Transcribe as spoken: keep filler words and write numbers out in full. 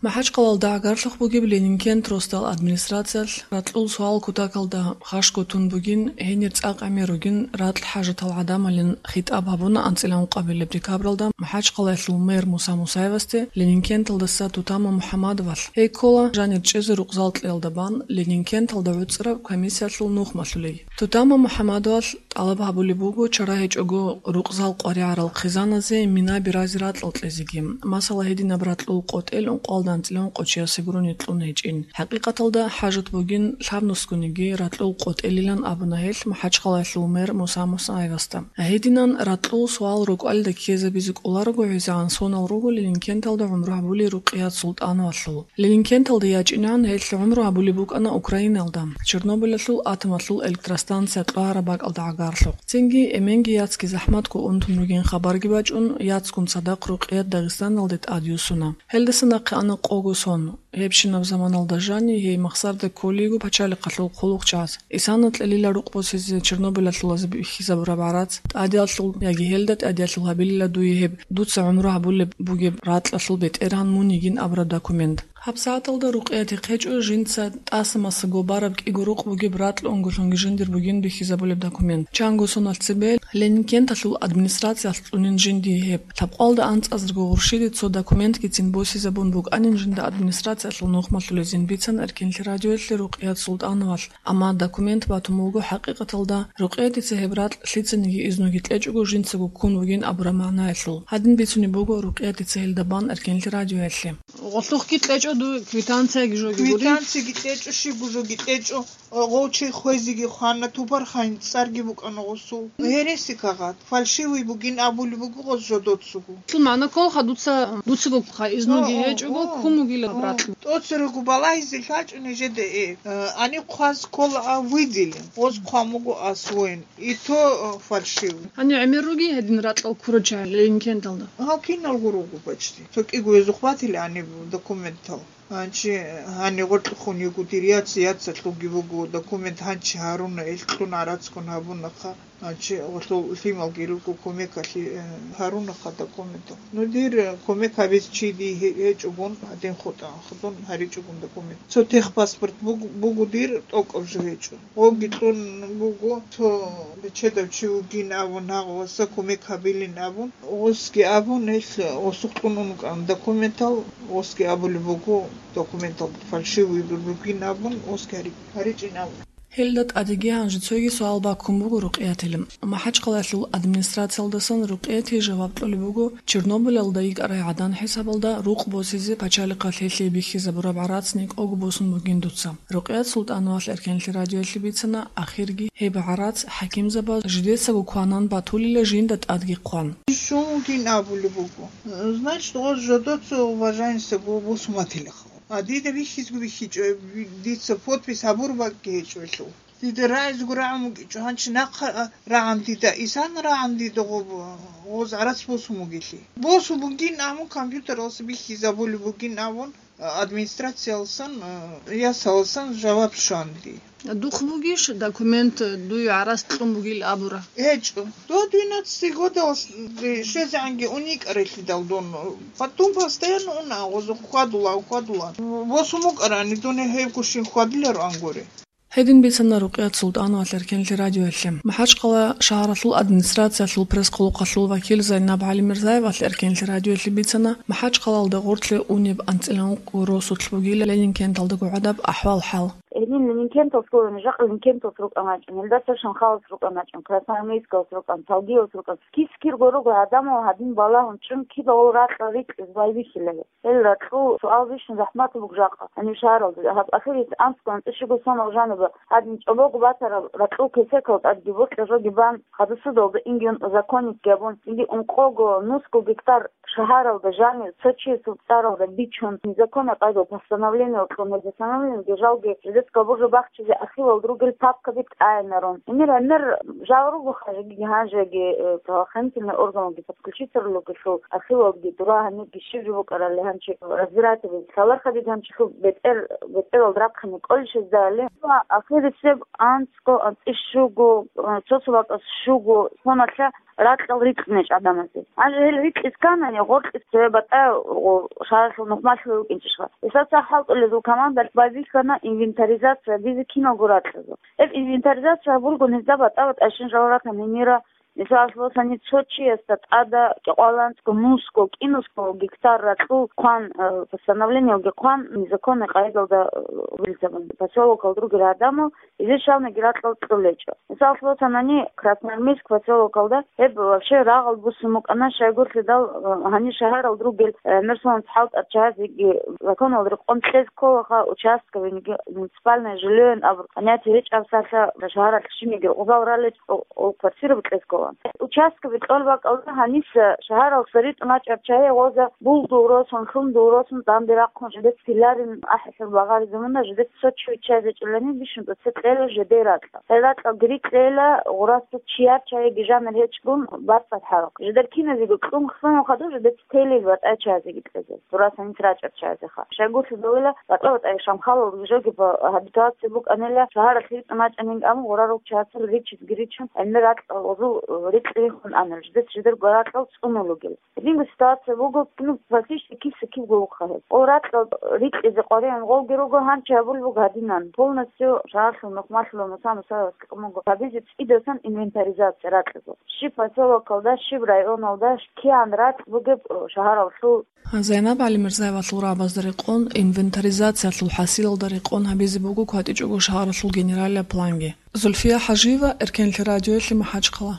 МахӀачхъалалда гӀагарлъухъ бугеб Ленинкент росдал администрациялъ ракьул суал кутакалда хашго тун бугин, гьенир цӀакъ гӀемер ругин ракь хӀажатал гӀадамалин хитӀаб гьабуна анцӀила ункъабилеб декабралда МахӀачхъалаялъул мэр Муса Мусаевасде Ленинкенталдаса Тутама МухӀаммадовалъ. Гьей ккола жанир чӀезе рукъзал кьеялда бан Ленинкенталда гӀуцӀраб комиссиялъул нухмалъулей. Тутама МухӀаммадовалъ тӀалаб гьабулеб буго чара гьечӀого рукъзал къваригӀарал хъизаназе мина-биразе ракьал кьезеги, масала, гьединаб ракьул къотӀел ункъоялда анцӀила ункъо чиясе гурони кьун гьечӀин. ХӀакъикъаталда хӀажат бугин лъабнусгониги ракьул къотӀелилан абуна гьелъ МахӀачхъалаялъул мэр Муса Мусаевасда. Гьединан ракьул суал рокӀалда ккезабизе кӀоларого гӀезегӀан сонал руго Ленинкенталда гӀумру гьабулей Рукъият Султановалъул. Ленинкенталда ячӀинегӀан гьелъ гӀумру гьабулеб букӀана Украиналда, Чернобылалъул атомалъул электростанция кьвагьараб бакӀалда гӀагарлъухъ. Цинги эменги яцги захӀматго унтун ругин хабарги бачӀун, яцгун цадахъ Рукъият Дагъистаналде тӀадюссуна. Гьелдаса нахъе ана къого сон. Гьебщинаб заманалда жанив гьей Махсарда кколейго пачалихъалъул хъулухъчагӀаз. Исана кьелила рукъ босизе Чернобылалъулазе бихьизабураб гӀарац, тӀадиялъул яги гьелда тӀадиялъул гьабилила дуе гьеб дуца гӀумру гьабулеб бугеб ракьалъул бетӀергьан мун йигин абураб документ. ГьабсагӀаталда Рукъиятихъ гьечӀо жинца тӀаса-масаго бараб кӀиго рукъ бугеб ракь унголъунги жиндир бугин бихьизабулеб документ. Чанго соналъ цебе Ленинкенталъул администрациялъ кьунин жиндие гьеб. Лъабкъалда анцӀазарго гъурщиде цо документгицин босизабун букӀанин жинда администрациялъул нухмалъулезин бицан Эркенлъи радиоялъе Рукъият Султановалъ. Амма документ батун буго хӀакъикъаталда, Рукъиятица гьеб ракь лъицаниги изнуги кьечӀого жинцаго ккун вугин абураб магӀнаялъул. Гьадин бицунеб буго Рукъиятица гьелда бан Эркенлъи радиоялъе. Гъолъухъги кьечӀо дуе квитанцияги жоги гури? Квитанцияги кьечӀо, щибго жоги кьечӀо. Гъов чи хвезеги хвана, тупархайин цӀарги букӀана гъосул. Гьереси кагъат, фальшивый бугин абулеб буго гъос жодоцаго. Лъул магӀна кколха дуца, дуцаго ха, изнуги гьечӀого, ккун вугилан ракьу. ТӀоцерого балагьизе лъачӀун нижеда, э, э, гьаниб хъваз ккола а выделен, гъос хъван буго а своен, и то, э, фальшивый. Гьанив гӀемер ругин гьедин ракьал ккурал чагӀи Ленинкенталда? Гьав киналго руго почти. Цо кӀиго гьезухъ батила гьаниб документал. Гьанчи гьанигъоркьухъун йиго дир яц, яцалъулги буго документ, гьанчи гьаруна, ил кьун гӀарацгун гьабунаха. Гьанчи гъолъул лъималги руго кумекалъе, э, гьарунаха документал. Ну, дир, э, кумек гьабиз чи дие гье-, гьечӀогун, гьадин хутӀа хадун гьаричӀогун документ. Цо техпаспорт буг-, буго дир, тӀокӀаб жо гьечӀо. Гъобги кьун буго, цо бечедав чи вугин абун, гьагъ васа кумек гьабилин абун. Гъосги абун, гьел гъосухъ кьун ункъан документал, гъосги абулеб буго, документал фальшивый бугин абун, гъосги гьари-, гьаричӀин абун. Гьелда тӀадеги гьанже цоги суал баккун буго Рукъиятил. МахӀачхъалаялъул администрациялдасан Рукъияти жаваб кьолеб буго, Чернобылалда йикӀарай гӀадан хӀисабалда рукъ босизе пачалихъалъ гьелъие бихьизабураб гӀарац никӀого босун бугин дуца. Рукъият Султановалъ Эркенлъи радиоялъе бицана, ахирги гьеб гӀарац хӀакимзабаз жидецаго кванан батулила жинда тӀадги хъван. Щун вугин абулеб буго. Значит, гъоз жодоца уважаемся бу-, бусуматилаха. А дида бихьизго бихьичӀо, дица подпись гьабур бакӀги гьечӀо гьелъул. Дида рагӀизго рагӀун вукӀичӀо, гьанчи нахъа, а, рагӀан дида, исан рагӀан дида гъоб-, гъоз гӀарац босун бугелъи. Босун бугин абун, компьютералъа бихьизабулеб бугин абун, администрациялсан, э, ясалсан жаваб щванги. Духъ бугищ документ дуе гӀарац кьун бугил абура? ГьечӀо. До двенадцати годалас щвезегӀанги уникӀарелъидал дун. Потом постоянно уна, гъозухъ хьвадула, хьвадула. Восумукъарани дуне гьебгощин хьвадиларо ангури. Гьедин бицана Рукъият Султанова Эркенлъи радиоялъе. МахӀачхъала шагьаралъул администрациялъул пресс-хъулухъалъул вакил Зайнаб ГӀалимирзаевалъ Эркенлъи радиоялъе бицана МахӀачхъалалда гъорлъе унеб анцӀила ункъо росулъ бугила Ленинкенталда гӀадаб ахӀвал-хӀал. Гьелин Ленинкенталъ гурони, жакъа Ленинкенталъ рукӀан вачӀун, гьелдаса Шанхалас рукӀан вачӀун, Красноармейскалас рукӀан, Талгиялас рукӀан, кис-кир гурого гӀадамал гьадин балагьун чӀун кидал ракьа рикьиз байбихьила. Гьел ракьул суал бищун захӀмат буго жакъа, гьанив шагьаралда. Гьаб ахирис анцӀго анцӀишиго сонал жаниба гьадин чӀобого батараб ракьул кесекал тӀадги бокьа жоги бан, хадусудалда инги унтӀа законникги абун, инги ункъого, нусго гектар шагьаралда жанив цо чиясул цӀаралда бичун, незаконный къайдал постановление кьун, гьел постановлениеги жалги жидецкого Буржу бахчизе архивал ругел папкаби тӀайнарун. Гьенир гьанир жал руго хажиги гьанжеги, э, правоохранительный органалги подключиться ругелъул архивалги дура гьаниги щиб жо букӀарали гьанчи разбиратель лъаларха диги гьанчилъул бетӀер, бетӀерал рахъани кӀолищезда али. Ва ахирисеб анцӀго, анцӀи щуго, э, цо-цо бакӀас щуго, соналъа ракьал рикьнечӀ гӀадамазе. Гьанже гьел рикьисканани, гъоркьис цеве батӀа, о, шагьаралъул нухмалъулев вукӀинчӀищха. Гьесда цо хӀалтӀулезул командалъ байбихьана инвентаризация бизе киналго ракьазул. Гьеб инвентаризация гьабулгун гьезда батӀа-батӀайщин жал ратан гьенира, мисалалъ босани, цо чиясда тӀада кӀикъоялда анцӀго, нусго, кӀинусго гектар ракьул хъван, э, постановлениялги хъван, незаконный къайдалда, э, вилзабан. Поселокалда ругел гӀадамал Гьезие щалниги ракьал кьолечӀо. Мисаллъун босанани, Красноармейск поселокалда гьеб вообще рагъал буссун букӀана, щайгурлъидал, э, гьанир шагьаралда ругел, э, гӀемер соналъ хӀалтӀарал чагӀазеги законалда рекъон кьезе кколаха, участковыйниги, муниципальное жильеян абураб понятие гьечӀеб сахлъа, шагьаралъ щибниги рукъзал ралел, о, о, квартира букьезе ккола. Участковый кьол бакӀалда гьаниса шагьаралъа ритӀун рачӀарал чагӀи гъоза булдул росун, лъумдул росун данде рахъун жидеца тиларин ахӀи-, Багъари замана жидеца цо чи виччазе чӀолани бищун тӀоце кьела жидер ракьа. Гьел ракьалги рикьейила гъурасда чияр чагӀиги жанир гьечӀгун бацӀцӀад хӀарухъ. Жидер киназего кьун хьун хадуб жидеца телил батӀай чагӀазеги кьезе. Гъурасда гьанис рачӀарал чагӀазеха. Щайгурлъидал батӀа-батӀай шамхалалги жоги гьабитация букӀанила, шагьаралъ ритӀун рачӀанин, амма гъурал чагӀацал ричизги ричун, гӀемер ракьал гъозул рикь риххун анал, жидеца жидер гуракьал цӀунулугел. Гьединго ситуация буго, ну, практически киса-кибго вухъа гьеб. О, ракьал рикьизе къваригӀун гъовги руго, гьанчи гьабулеб буго гьадинан. Полностью шагьарлъул нухмалъула Муса Мусаевасги къумуго гьабизе цӀидасан инвентаризация ракьазул. Щиб поселокалда, щиб районалда, кигӀан ракь бугеб, о, шагьаралъул. Зайнаб ГӀалимирзаевалъул рагӀабазда рекъон, инвентаризациялъул хӀасилалда рекъон гьабизе буго кватӀичӀого шагьаралъул генералияб планги. Зульфия ХӀажиева, Эркенлъи радиоялъе МахӀачхъала.